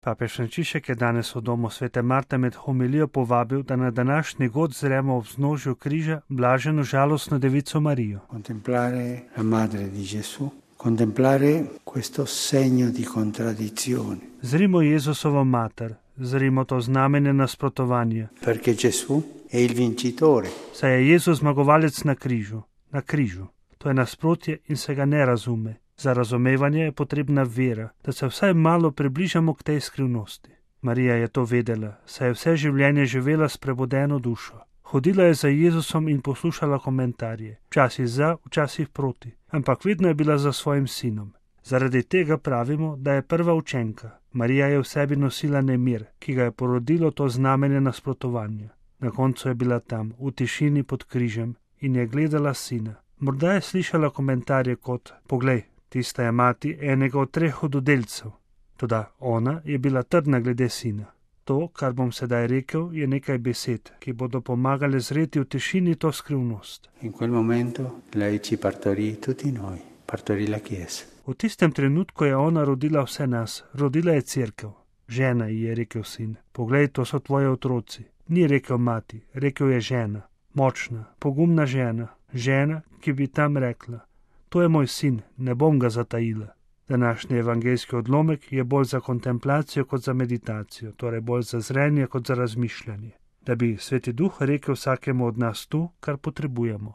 Papež Frančišek je danes v domu svete Marte med homilijo povabil, da na današnji god zremo ob vznožju križa blaženo žalostno devico Marijo. Contemplare la madre di Gesù, contemplare questo segno di contraddizione. Zrimo Jezusovo mater, zrimo to znamenje nasprotovanja. Perché Gesù è il vincitore. Saj je Jezus zmagovalec na križu. To je nasprotje in se ga ne razume. Za razumevanje je potrebna vera, da se vsaj malo približamo k tej skrivnosti. Marija je to vedela, saj je vse življenje živela s prebudeno dušo. Hodila je za Jezusom in poslušala komentarje, včasih za, včasih proti, ampak vedno je bila za svojim sinom. Zaradi tega pravimo, da je prva učenka. Marija je v sebi nosila nemir, ki ga je porodilo to znamenje nasprotovanja. Na koncu je bila tam, v tišini pod križem, in je gledala sina. Morda je slišala komentarje kot: "Poglej, tista je mati enega od 3 hudodelcev." Toda ona je bila trdna glede sina. To, kar bom sedaj rekel, je nekaj besed, ki bodo pomagale zreti v tišini to skrivnost. In quel momento lei ci partorì tutti noi, partorì la Chiesa. V tistem trenutku je ona rodila vse nas, rodila je cerkev. Žena, ji je rekel sin, poglej, to so tvoji otroci. Ni rekel mati, rekel je žena. Močna, pogumna žena, žena, ki bi tam rekla: "To je moj sin, ne bom ga zatajila." Današnji evangeljski odlomek je bolj za kontemplacijo kot za meditacijo, torej bolj za zrenje kot za razmišljanje, da bi Sveti Duh rekel vsakemu od nas to, kar potrebujemo.